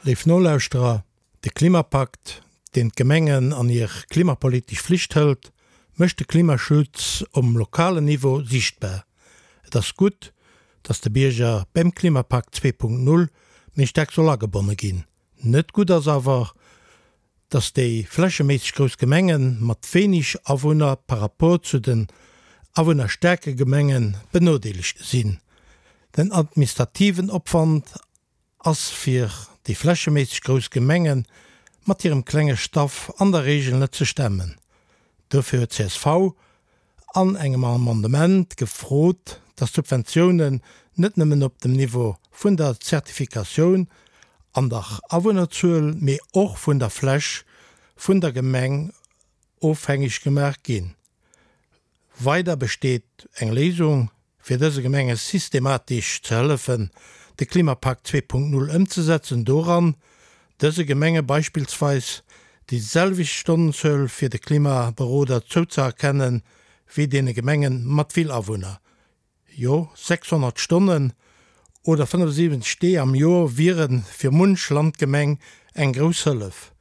Léif Nolauschterer, de Klimapakt, deen d'Gemengen an hir klimapolitesch Flicht hëlt, mécht de Klimaschutz um lokalen Niveau siichtbar. Et ass gutt, datt de Bierger beim Klimapakt 2.0 méi staark soll agebonne ginn. Net gutt ass awer, datt déi flächeméisseg grouss Gemenge mat wéineg Awunner par rapport zu den awunnerstaarke Gemenge benodeelegt sinn. Den administrativen Opwand ass fir déi flächeméisseg grouss Gemenge mat hirem klenge Staff an der Regel net ze stemmen. Dofir huet csv an engem Amendement gefrot, datt d'Subventiounen net nëmmen op dem Niveau vun der Zertifikatioun an der Awunnerzuel, mee och vun der Fläch vun der Gemeng ofhängeg gemaach ginn. Weider besteet eng Léisung, fir dëse Gemenge systematesch ze hëllefen, de Klimapakt 2.0 ëmzesetzen, doran, dëse Gemenge beispillsweis déi selwecht Stonnenzuel fir de Klimaberoder zouzeerkennen, wéi deene Gemenge mat vill Awunner. Jo, 600 Stonnen oder 75 Dee am Joer wiere fir munch Landgemeng eng grouss Hëllef,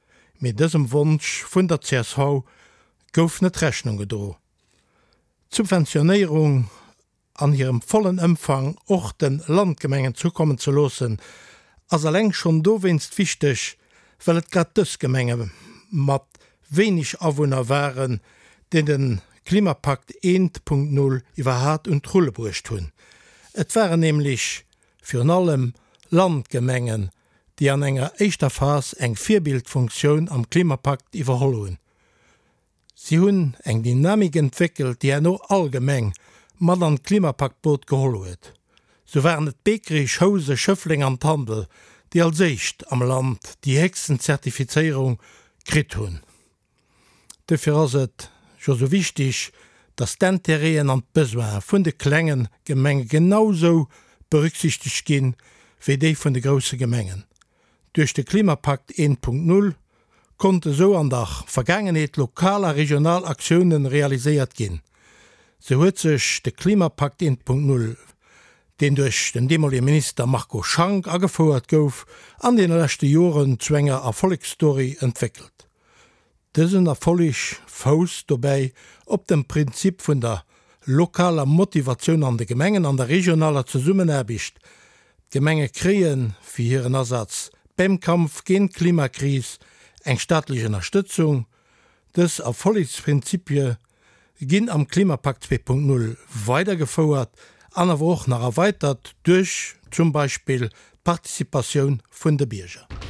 mee dësem Wonsch vun der csv gouf net Rechnung gedro. D'Subventionéierung an hirem vollen Ëmfang och de Landgemengen zukommen ze loossen, ass eleng schonn dowéinst wichteg, well et grad dës Gemenge mat wéineg Awunner waren, déi de Klimapakt 1.0 iwwerhat un d'Rulle bruecht hunn. Et waren nämlech virun allem Landgemengen, déi an enger éischter Phas eng Virbildfunktioun am Klimapakt iwwerholl hunn. Si hunn eng Dynamik entwéckelt, déi herno all Gemeng mat an d'Klimapaktboot geholl huet. Sou waren et Beekerich, Housen, Schëffleng an Tandel, déi als éischt am Land déi héchsten Zertifizéierung kritt hunn. Dofir ass et jo sou wichtig, dass d'Intérêten an d'Besoine vun de klenge Gemenge genau sou berücksichtegt ginn, wéi déi vun de grousse Gemengen. Duerch de Klimapakt 1.0 konnte sou an der Vergaangenheet lokal a regional Aktiounen realiséiert ginn. Sou huet sech de Klimapakt 1.0, deen duerch den deemolige Minister Marco Schank agefouert gouf, an deene leschte Joren zu enger Erfollegsstory entwéckelt. Dësen Erfolleg fousst dobäi op dem Prinzip vun der lokaler Motivatioun an de Gemengen an der regionaler Zesummenaarbecht. D'Gemenge kréie fir hiren Asaz beim Kampf géint d'Klimakris eng staatlech Ënnerstëtzung. Dës Erfollegsprinzipie ginn am Klimapakt 2.0 weidergefouert an awer och nach erweitert duerch zum Beispill d'Participatioun vun de Bierger.